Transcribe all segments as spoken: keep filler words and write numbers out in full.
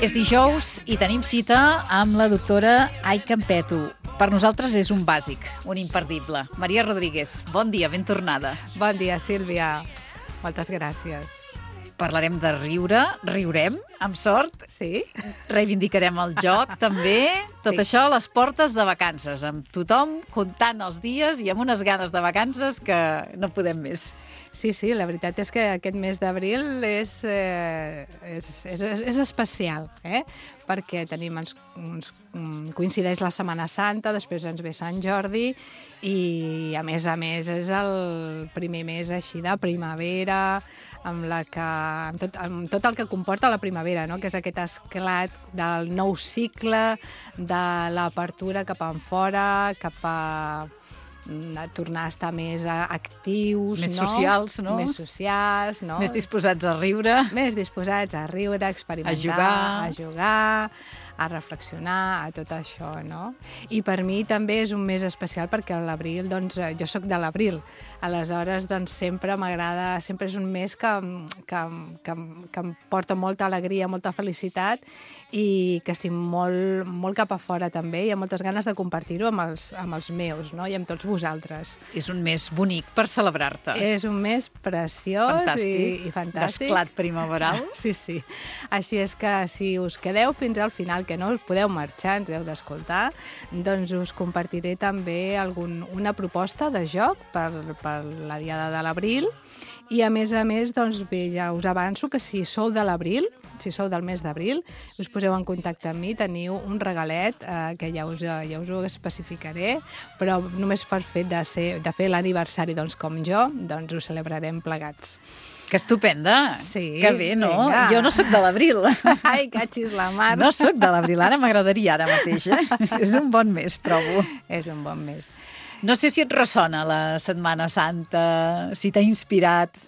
És dijous i tenim cita amb la doctora Ai Campeto. Per nosaltres és un bàsic, un imperdible. Maria Rodríguez, bon dia, ben tornada. Bon dia, Sílvia. Moltes gràcies. Parlarem de riure, riurem, amb sort. Sí. Reivindicarem el joc, també. Tot Sí. això a les portes de vacances, amb tothom comptant els dies i amb unes ganes de vacances que no podem més. Sí, sí, la veritat és que aquest mes d'abril és, eh, és, és, és especial, eh? Perquè tenim uns, uns, coincideix la Setmana Santa, després ens ve Sant Jordi i, a més a més, és el primer mes així de primavera, amb, la que, amb, tot, amb tot el que comporta la primavera, no? Que és aquest esclat del nou cicle, de l'apertura cap enfora, cap a a tornar a estar més actius, Més no? socials, no? Més socials, no? Més disposats a riure. Més disposats a riure, a experimentar, A jugar. a jugar, a reflexionar, a tot això, no? I per mi també és un mes especial perquè a l'abril, doncs, jo sóc de l'abril, aleshores, doncs, sempre m'agrada, sempre és un mes que, que, que, que em porta molta alegria, molta felicitat i que estic molt, molt cap a fora també i amb moltes ganes de compartir-ho amb, els, amb els meus, no? I amb tots vosaltres. És un mes bonic per celebrar-te. És un mes preciós Fantàstic. i, i fantàstic. D'esclat primaveral. Sí, sí. Així és que si us quedeu fins al final, que no us podeu marxar, ens heu d'escoltar, doncs us compartiré també algun, una proposta de joc per, per la diada de l'abril i, a més a més, doncs bé, ja us avanço que si sou de l'abril, si sou del mes d'abril, us poseu en contacte amb mi, teniu un regalet eh, que ja us, ja us ho especificaré, però només per fet de, ser, de fer l'aniversari doncs, com jo, doncs ho celebrarem plegats. Que estupenda. Sí, que bé, no? vinga. Jo no sóc de l'abril. Ai, catxis la mar. No sóc de l'abril, ara m'agradaria ara mateix. Eh? És un bon mes, trobo. És un bon mes. No sé si et ressona la Setmana Santa, si t'ha inspirat.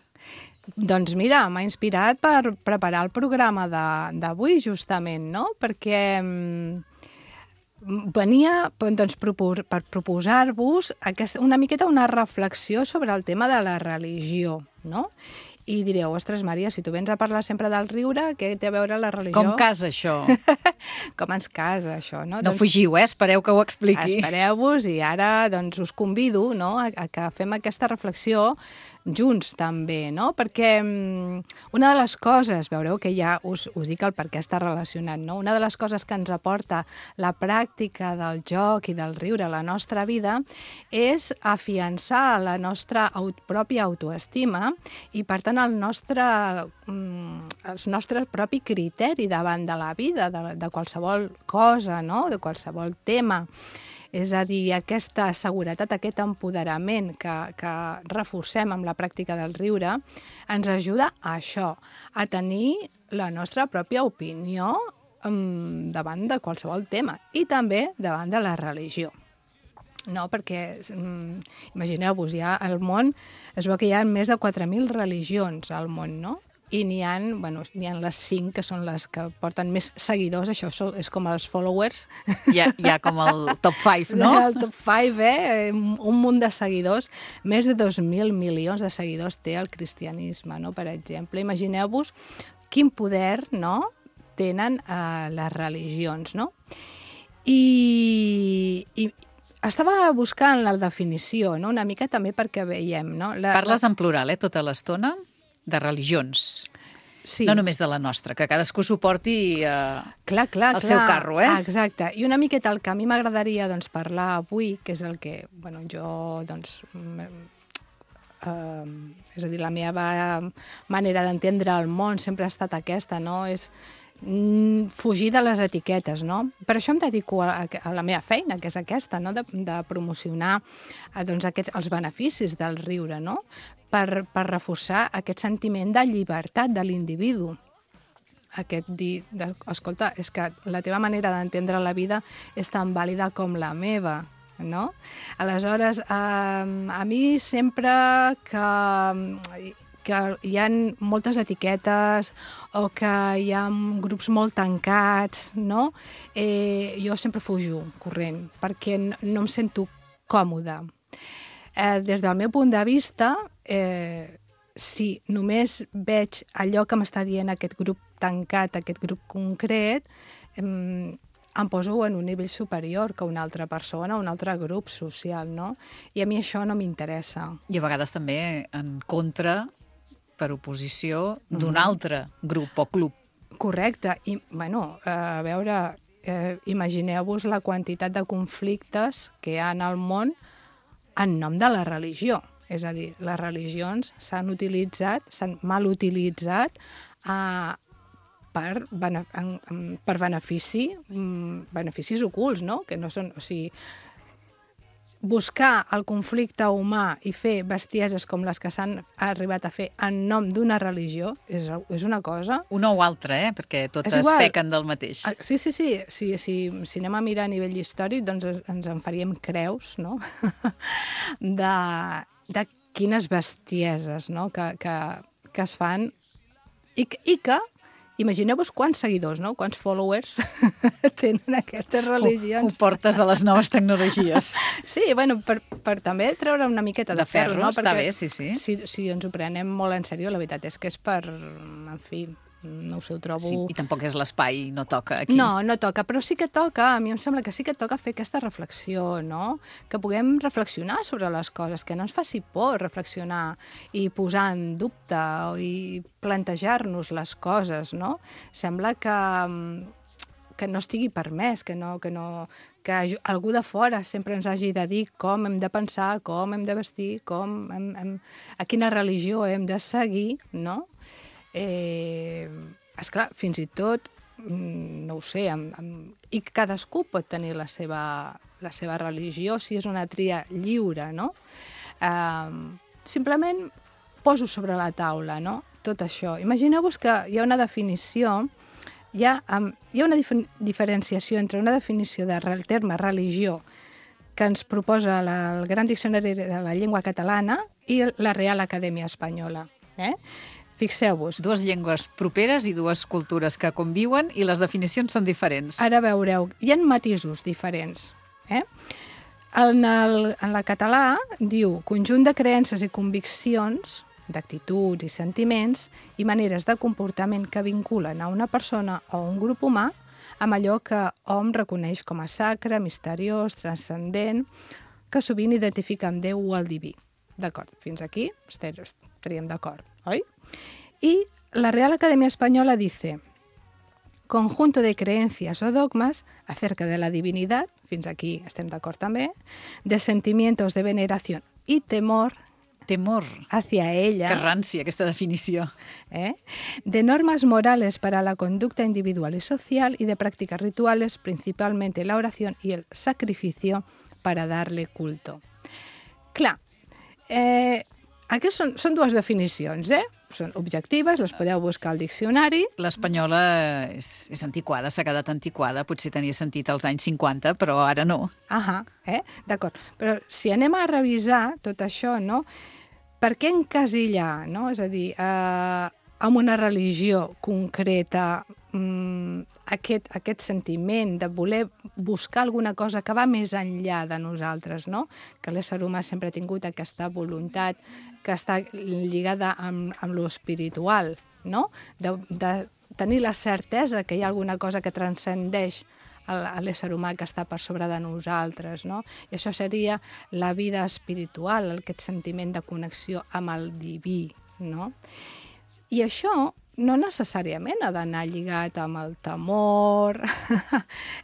Doncs mira, m'ha inspirat per preparar el programa d'avui, justament, no? Perquè mm, venia doncs, propos per proposar-vos una miqueta una reflexió sobre el tema de la religió, no? I direu, ostres, Maria, si tu vens a parlar sempre del riure, què té a veure la religió? Com casa, això? Com ens casa, això, no? No doncs, fugiu, eh? Espereu que ho expliqui. Espereu-vos i ara doncs, us convido, no?, a, a que fem aquesta reflexió junts també, no? Perquè um, una de les coses, veureu que ja us, us dic el per què està relacionat, no? Una de les coses que ens aporta la pràctica del joc i del riure a la nostra vida és afiançar la nostra aut pròpia autoestima i, per tant, el nostre, um, el nostre propi criteri davant de la vida, de, de qualsevol cosa, no? De qualsevol tema. És a dir, aquesta seguretat, aquest empoderament que, que reforcem amb la pràctica del riure, ens ajuda a això, a tenir la nostra pròpia opinió um, davant de qualsevol tema i també davant de la religió. No, perquè um, imagineu-vos, ja al món es veu que hi ha més de quatre mil religions al món, no? I n'hi ha, bueno, n'hi ha les cinc que són les que porten més seguidors, això és com els followers. Hi ha, hi ha com el top cinc, no? El top cinc, eh? Un munt de seguidors. Més de dos mil milions de seguidors té el cristianisme, no? Per exemple. Imagineu-vos quin poder, no?, tenen eh, les religions, no? I... i estava buscant la definició, no?, una mica també perquè veiem, no? La, Parles la... en plural, eh, tota l'estona? De religions. Sí. No només de la nostra, que cadascú suporti eh, clar, clar, el clar. seu carro, eh? Ah, exacte. I una miqueta el que a mi m'agradaria doncs, parlar avui, que és el que bueno, jo, doncs, eh, és a dir, la meva manera d'entendre el món sempre ha estat aquesta, no? És fugir de les etiquetes, no? Per això em dedico a, a la meva feina, que és aquesta, no? De, de promocionar doncs, aquests, els beneficis del riure, no? Per, per reforçar aquest sentiment de llibertat de l'individu. Aquest dir, de, escolta, és que la teva manera d'entendre la vida és tan vàlida com la meva, no? Aleshores, eh, a mi sempre que... que hi ha moltes etiquetes o que hi ha grups molt tancats, no? Eh, jo sempre fujo corrent perquè no em sento còmoda. Eh, des del meu punt de vista, eh, si només veig allò que m'està dient aquest grup tancat, aquest grup concret, em, em poso en un nivell superior que una altra persona, un altre grup social, no? I a mi això no m'interessa. I a vegades també en contra, per oposició, d'un mm. altre grup o club. Correcte. I, bueno, a veure, eh, imagineu-vos la quantitat de conflictes que hi ha en el món en nom de la religió. És a dir, les religions s'han utilitzat, s'han mal utilitzat eh, per, bene, en, en, per benefici, beneficis ocults, no? Que no són, o sigui, buscar el conflicte humà i fer bestieses com les que s'han arribat a fer en nom d'una religió és, és una cosa... Una o altra, eh? Perquè totes pequen del mateix. Sí, sí, sí. Si, si, si anem a mirar a nivell històric, doncs ens en faríem creus, no? de, de quines bestieses, no? que, que, que es fan i, i que imagineu-vos quants seguidors, no? Quants followers tenen aquestes religions. Ho, ho portes a les noves tecnologies. Sí, bueno, per, per també treure una miqueta de, de ferro, ferro, no? Està Perquè bé, sí, sí. Si, si ens ho prenem molt en sèrio, la veritat és que és per, en fi, no ho sé, ho trobo... Sí, i tampoc és l'espai, no toca aquí. No, no toca, però sí que toca, a mi em sembla que sí que toca fer aquesta reflexió, no? Que puguem reflexionar sobre les coses, que no ens faci por reflexionar i posar en dubte i plantejar-nos les coses, no? Sembla que, que no estigui permès, que no, que no, que algú de fora sempre ens hagi de dir com hem de pensar, com hem de vestir, com hem, hem, a quina religió hem de seguir, no? Eh, esclar, fins i tot, no ho sé, amb, amb, i cadascú pot tenir la seva, la seva religió si és una tria lliure, no? Eh, simplement poso sobre la taula, no? Tot això. Imagineu-vos que hi ha una definició, hi ha, um, hi ha una dif diferenciació entre una definició del terme religió que ens proposa la, el Gran Diccionari de la Llengua Catalana i la Real Acadèmia Espanyola. Eh? Fixeu-vos. Dues llengües properes i dues cultures que conviuen i les definicions són diferents. Ara veureu, hi ha matisos diferents. Eh? En, el, en la català diu conjunt de creences i conviccions, d'actituds i sentiments i maneres de comportament que vinculen a una persona o un grup humà amb allò que hom reconeix com a sacre, misteriós, transcendent, que sovint identifica amb Déu o el diví. D'acord, fins aquí estaríem d'acord, oi? Y la Real Academia Española dice conjunto de creencias o dogmas acerca de la divinidad, fins aquí estem d'acord també, de sentimientos de veneración y temor temor hacia ella. Que rància, aquesta definició. ¿eh? De normas morales para la conducta individual y social y de prácticas rituales, principalmente la oración y el sacrificio para darle culto. Clar, eh, aquestes són, són dues definicions, eh? Són objectives, les podeu buscar al diccionari. L'espanyola és, és antiquada, s'ha quedat antiquada, potser tenia sentit als anys cinquanta, però ara no. Ahà, eh? D'acord. Però si anem a revisar tot això, no? Per què encasillar, no? És a dir, eh, amb una religió concreta, mmm, aquest, aquest sentiment de voler buscar alguna cosa que va més enllà de nosaltres, no? Que l'ésser humà sempre ha tingut aquesta voluntat que està lligada amb, amb lo espiritual, no? De, de tenir la certesa que hi ha alguna cosa que transcendeix a l'ésser humà que està per sobre de nosaltres, no? I això seria la vida espiritual, aquest sentiment de connexió amb el diví, no? I això no necessàriament ha d'anar lligat amb el temor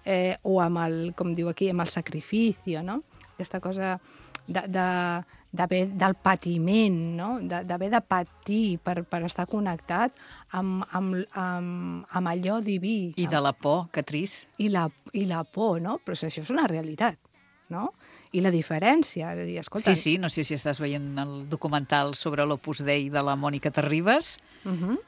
eh, o amb el, com diu aquí, amb el sacrifici, no? Aquesta cosa de, de, de, del patiment, no? D'haver de patir per, per estar connectat amb, amb, amb, amb allò diví. I de la por, que trist. I la, i la por, no? Però això és una realitat, no? I la diferència, de dir, escolta... Sí, sí, no sé si estàs veient el documental sobre l'Opus Dei de la Mònica Terribas, uh -huh.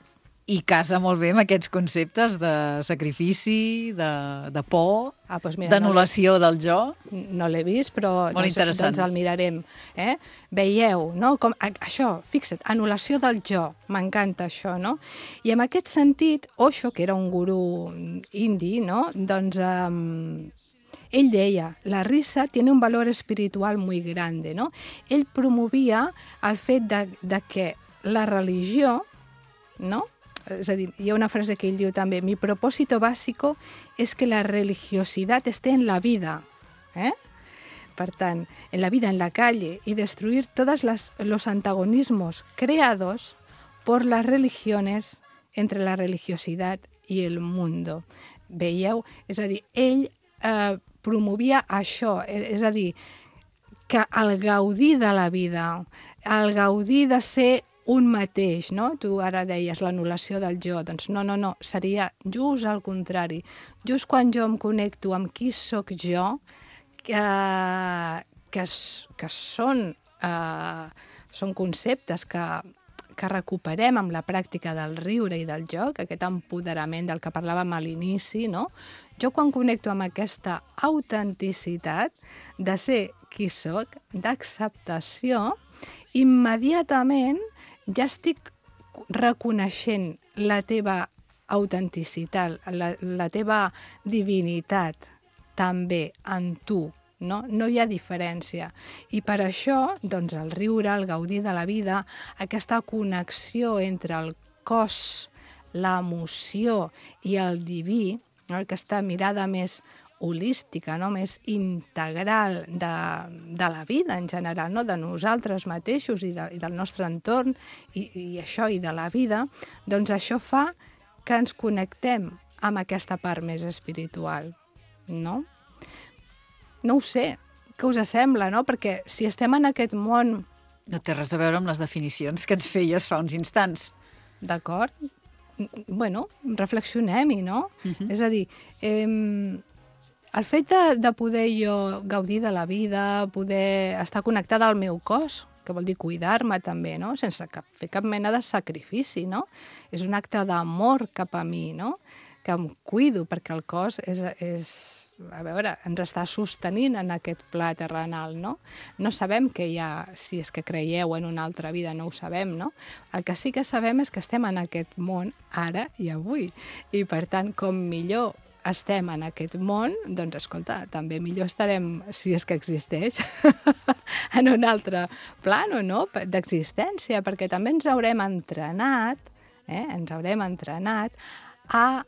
i casa molt bé amb aquests conceptes de sacrifici, de, de por, ah, doncs d'anul·lació no del jo. No l'he vist, però molt doncs, doncs el mirarem. Eh? Veieu, no? Com, això, fixa't, anul·lació del jo, m'encanta això, no? I en aquest sentit, Osho, que era un gurú indi, no? Doncs... Um, ell deia, la risa tiene un valor espiritual muy grande, ¿no? Ell promovia el fet de, de que la religió, no? És a dir, hi ha una frase que ell diu també, mi propósito básico es que la religiosidad esté en la vida, eh? Per tant, en la vida, en la calle, y destruir todos las, los antagonismos creados por las religiones entre la religiosidad y el mundo. Veieu? És a dir, ell eh, promovia això, és a dir, que el gaudir de la vida, el gaudir de ser un mateix, no? Tu ara deies l'anul·lació del jo, doncs no, no, no, seria just al contrari. Just quan jo em connecto amb qui sóc jo, que, que, que són, eh, són conceptes que, que recuperem amb la pràctica del riure i del joc, aquest empoderament del que parlàvem a l'inici, no? Jo quan connecto amb aquesta autenticitat de ser qui sóc, d'acceptació, immediatament ja estic reconeixent la teva autenticitat, la, la teva divinitat també en tu, no? No hi ha diferència. I per això, doncs, el riure, el gaudir de la vida, aquesta connexió entre el cos, l'emoció i el diví, no? Aquesta mirada més holística, no? Més integral de, de la vida en general, no? De nosaltres mateixos i, de, i del nostre entorn i, i això i de la vida, doncs això fa que ens connectem amb aquesta part més espiritual, no? No ho sé, què us sembla, no? Perquè si estem en aquest món... No té res a veure amb les definicions que ens feies fa uns instants. D'acord? Bueno, reflexionem-hi, no? Uh-huh. És a dir, eh, el fet de, de poder jo gaudir de la vida, poder estar connectada al meu cos, que vol dir cuidar-me també, no? Sense cap, fer cap mena de sacrifici, no? És un acte d'amor cap a mi, no? Que em cuido, perquè el cos és, és, a veure, ens està sostenint en aquest pla terrenal, no? No sabem que hi ha, si és que creieu en una altra vida, no ho sabem, no? El que sí que sabem és que estem en aquest món ara i avui. I, per tant, com millor estem en aquest món, doncs, escolta, també millor estarem, si és que existeix, en un altre plano, no?, d'existència, perquè també ens haurem entrenat, eh?, ens haurem entrenat a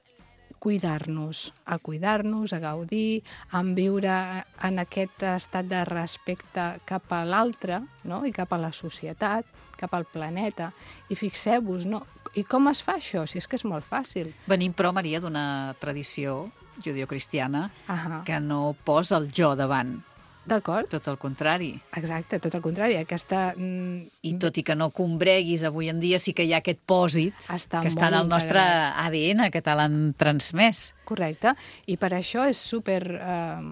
cuidar-nos, a cuidar-nos, a gaudir, a viure en aquest estat de respecte cap a l'altre, no?, i cap a la societat, cap al planeta. I fixeu-vos, no? I com es fa això? Si és que és molt fàcil. Venim, però, Maria, d'una tradició judeocristiana uh-huh. que no posa el jo davant. D'acord. Tot el contrari. Exacte, tot el contrari. Aquesta... I tot i que no combreguis avui en dia, sí que hi ha aquest pòsit està que està en el nostre A D N, que te l'han transmès. Correcte. I per això és super eh,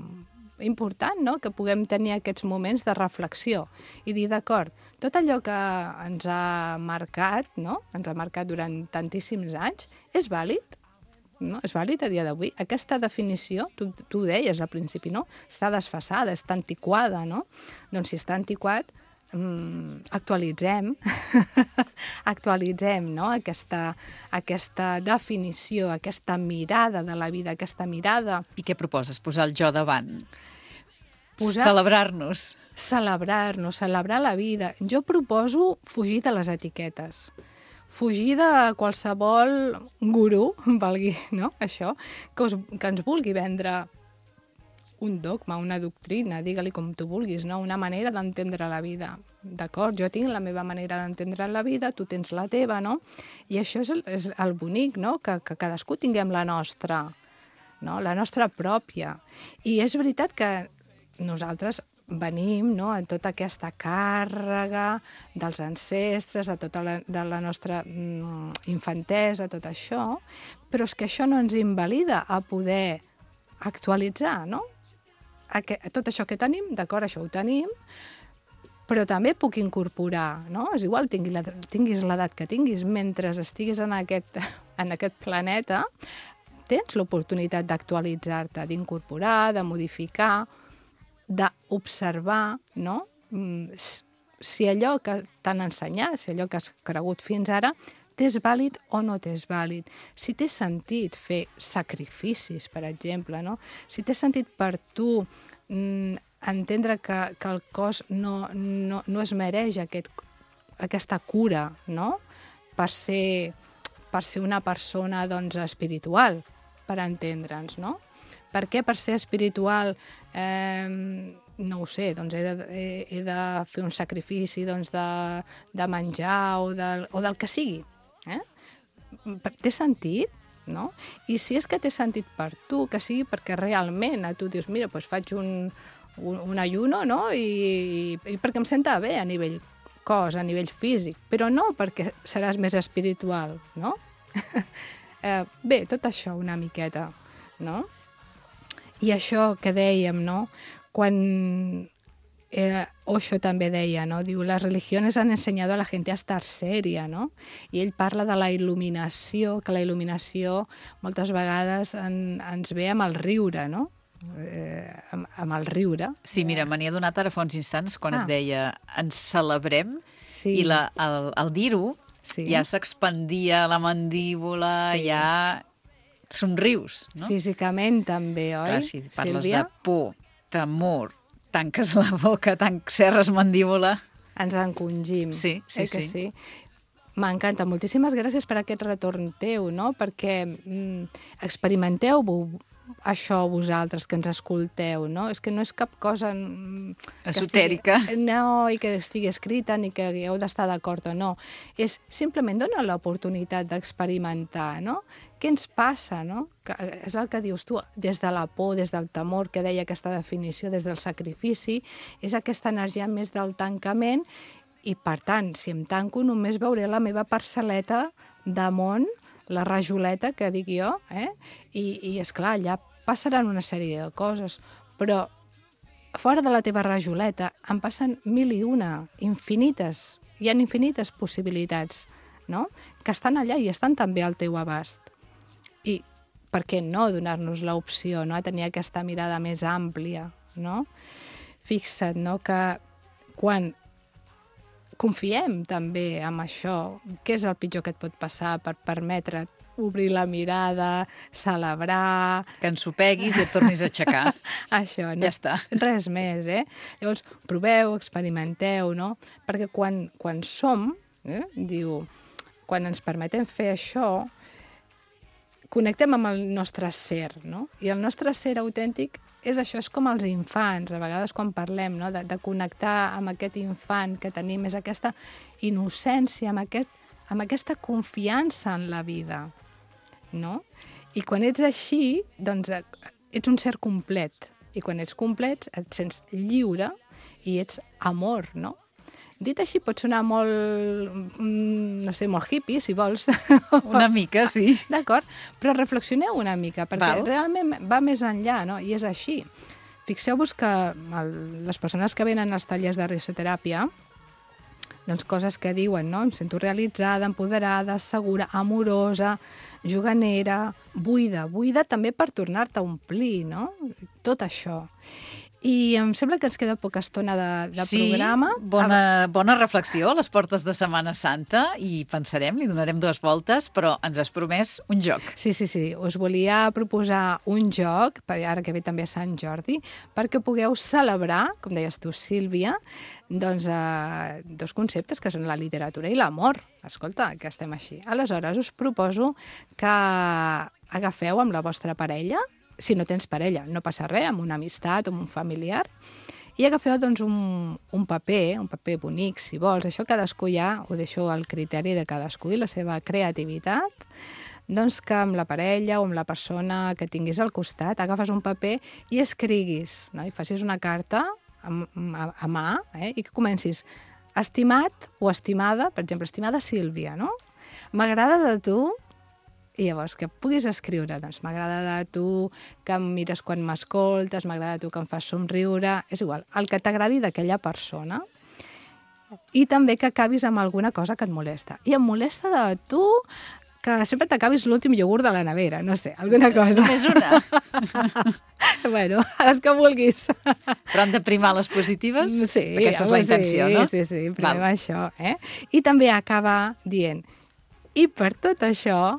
important, no?, que puguem tenir aquests moments de reflexió i dir, d'acord, tot allò que ens ha marcat, no?, ens ha marcat durant tantíssims anys, és vàlid? No? És vàlid a dia d'avui? Aquesta definició, tu, tu ho deies al principi, no?, està desfasada, està antiquada, no? Doncs si està antiquat, mmm, actualitzem, actualitzem, no?, aquesta, aquesta definició, aquesta mirada de la vida, aquesta mirada... I què proposes? Posar el jo davant? Posar... Celebrar-nos? Celebrar-nos, celebrar la vida. Jo proposo fugir de les etiquetes. Fugir de qualsevol gurú, valgui, no?, això, que, us, que ens vulgui vendre un dogma, una doctrina, digue-li com tu vulguis, no?, una manera d'entendre la vida. D'acord, jo tinc la meva manera d'entendre la vida, tu tens la teva, no? I això és el, és el bonic, no?, que, que cadascú tinguem la nostra, no?, la nostra pròpia. I és veritat que nosaltres venim, no?, en tota aquesta càrrega dels ancestres, de tota la, de la nostra mm, infantesa, tot això, però és que això no ens invalida a poder actualitzar, no? Aqu tot això que tenim, d'acord, això ho tenim, però també puc incorporar, no? És igual, tinguis l'edat que tinguis, mentre estiguis en aquest, en aquest planeta, tens l'oportunitat d'actualitzar-te, d'incorporar, de modificar, d'observar, no?, si allò que t'han ensenyat, si allò que has cregut fins ara, t'és vàlid o no t'és vàlid. Si té sentit fer sacrificis, per exemple, no? Si té sentit per tu mm, entendre que, que el cos no, no, no es mereix aquest, aquesta cura, no? Per ser, per ser una persona, doncs, espiritual, per entendre'ns, no? Per què per ser espiritual, eh, no ho sé, doncs he de, he, he de fer un sacrifici doncs de, de menjar o, de, o del que sigui? Eh? Té sentit? No? I si és que té sentit per tu, que sigui perquè realment a tu dius, mira, doncs faig un, un, un ayuno, no? I, i perquè em senta bé a nivell cos, a nivell físic, però no perquè seràs més espiritual, no? eh, bé, tot això una miqueta, no? I això que dèiem, no? Quan eh, Osho també deia, no? Diu, las religiones han enseñado a la gente a estar seria, no? I ell parla de la il·luminació, que la il·luminació moltes vegades en, ens ve amb el riure, no? Eh, amb, amb el riure. Sí, mira, me n'hi ha donat ara fa uns instants quan Ah. et deia ens celebrem, Sí. i la, el, el dir-ho Sí. ja s'expandia la mandíbula, Sí. ja somrius, no? Físicament també, oi, Clar, si parles Sílvia? de por, temor, tanques la boca, tan serres mandíbula... Ens encongim. Sí, sí, eh que sí. sí? M'encanta. Moltíssimes gràcies per aquest retorn teu, no? Perquè mm, experimenteu això vosaltres que ens escolteu, no? És que no és cap cosa... mm, que Esotèrica. Estigui, no, i que estigui escrita ni que heu d'estar d'acord o no. És simplement donar l'oportunitat d'experimentar, no? Què ens passa, no? Que és el que dius tu, des de la por, des del temor, que deia aquesta definició, des del sacrifici, és aquesta energia més del tancament i, per tant, si em tanco, només veuré la meva parcel·leta de món, la rajoleta, que dic jo, eh? I, i esclar, allà passaran una sèrie de coses, però fora de la teva rajoleta en passen mil i una, infinites, hi ha infinites possibilitats, no? Que estan allà i estan també al teu abast. I per què no donar-nos l'opció, no? A tenir aquesta mirada més àmplia, no? Fixa't, no? Que quan confiem també en això, què és el pitjor que et pot passar per permetre't obrir la mirada, celebrar... Que ensopeguis i et tornis a aixecar. Això, no? Ja està. Res més, eh? Llavors, proveu, experimenteu, no? Perquè quan, quan som, eh? Diu, quan ens permetem fer això, connectem amb el nostre ser, no? I el nostre ser autèntic és això, és com els infants, a vegades quan parlem, no? de, de connectar amb aquest infant que tenim, és aquesta innocència, amb, aquest, amb aquesta confiança en la vida, no? I quan ets així, doncs ets un ser complet. I quan ets complet et sents lliure i ets amor, no? Dit així pot sonar molt, no sé, molt hippie, si vols. Una mica, sí. D'acord, però reflexioneu una mica, perquè Val. realment va més enllà, no? I és així. Fixeu-vos que el, les persones que venen als tallers de risoteràpia, doncs coses que diuen, no? Em sento realitzada, empoderada, segura, amorosa, juganera, buida. Buida també per tornar-te a omplir, no? Tot això. I em sembla que ens queda poca estona de, de sí, programa. Bona, bona reflexió a les portes de Setmana Santa i pensarem, li donarem dues voltes, però ens has promès un joc. Sí, sí, sí. Us volia proposar un joc, per ara que ve també a Sant Jordi, perquè pugueu celebrar, com deies tu, Sílvia, doncs, eh, dos conceptes que són la literatura i l'amor. Escolta, que estem així. Aleshores, us proposo que agafeu amb la vostra parella, si no tens parella, no passa res, amb una amistat o amb un familiar, i agafeu doncs, un, un paper, un paper bonic, si vols. Això cadascú ja ho deixo al criteri de cadascú i la seva creativitat, doncs que amb la parella o amb la persona que tinguis al costat agafes un paper i escriguis, no? I facis una carta a, a, a mà, eh? I que comencis estimat o estimada, per exemple, estimada Sílvia, no? M'agrada de tu. I llavors, que puguis escriure, doncs m'agrada de tu que em mires quan m'escoltes, m'agrada de tu que em fas somriure, és igual, el que t'agradi d'aquella persona. I també que acabis amb alguna cosa que et molesta. I em molesta de tu que sempre t'acabis l'últim iogurt de la nevera, no sé, alguna cosa. Només una. Bueno, a les que vulguis. Però han de primar les positives? Sí, aquesta és la intenció, sí, no? Sí, sí, primem Val. això. Eh? I també acaba dient, i per tot això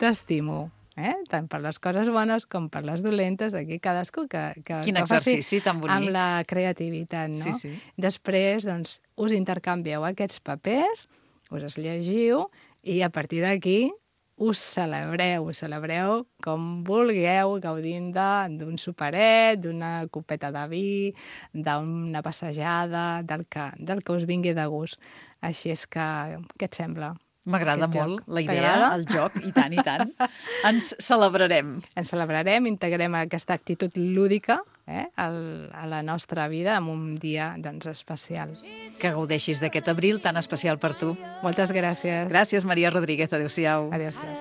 t'estimo. eh? Tant per les coses bones com per les dolentes, aquí cadascú que, que, Quin que faci exercici tan bonic. amb la creativitat, no? Sí, sí. Després, doncs, us intercanvieu aquests papers, us els llegiu i a partir d'aquí us celebreu, us celebreu com vulgueu, gaudint d'un superet, d'una copeta de vi, d'una passejada, del que, del que us vingui de gust. Així és que, què et sembla? M'agrada molt joc. la idea, el joc, i tant, i tant. Ens celebrarem. Ens celebrarem, integrem aquesta actitud lúdica eh, al, a la nostra vida en un dia doncs, especial. Que gaudeixis d'aquest abril tan especial per tu. Moltes gràcies. Gràcies, Maria Rodríguez. Adéu-siau. Adéu-siau.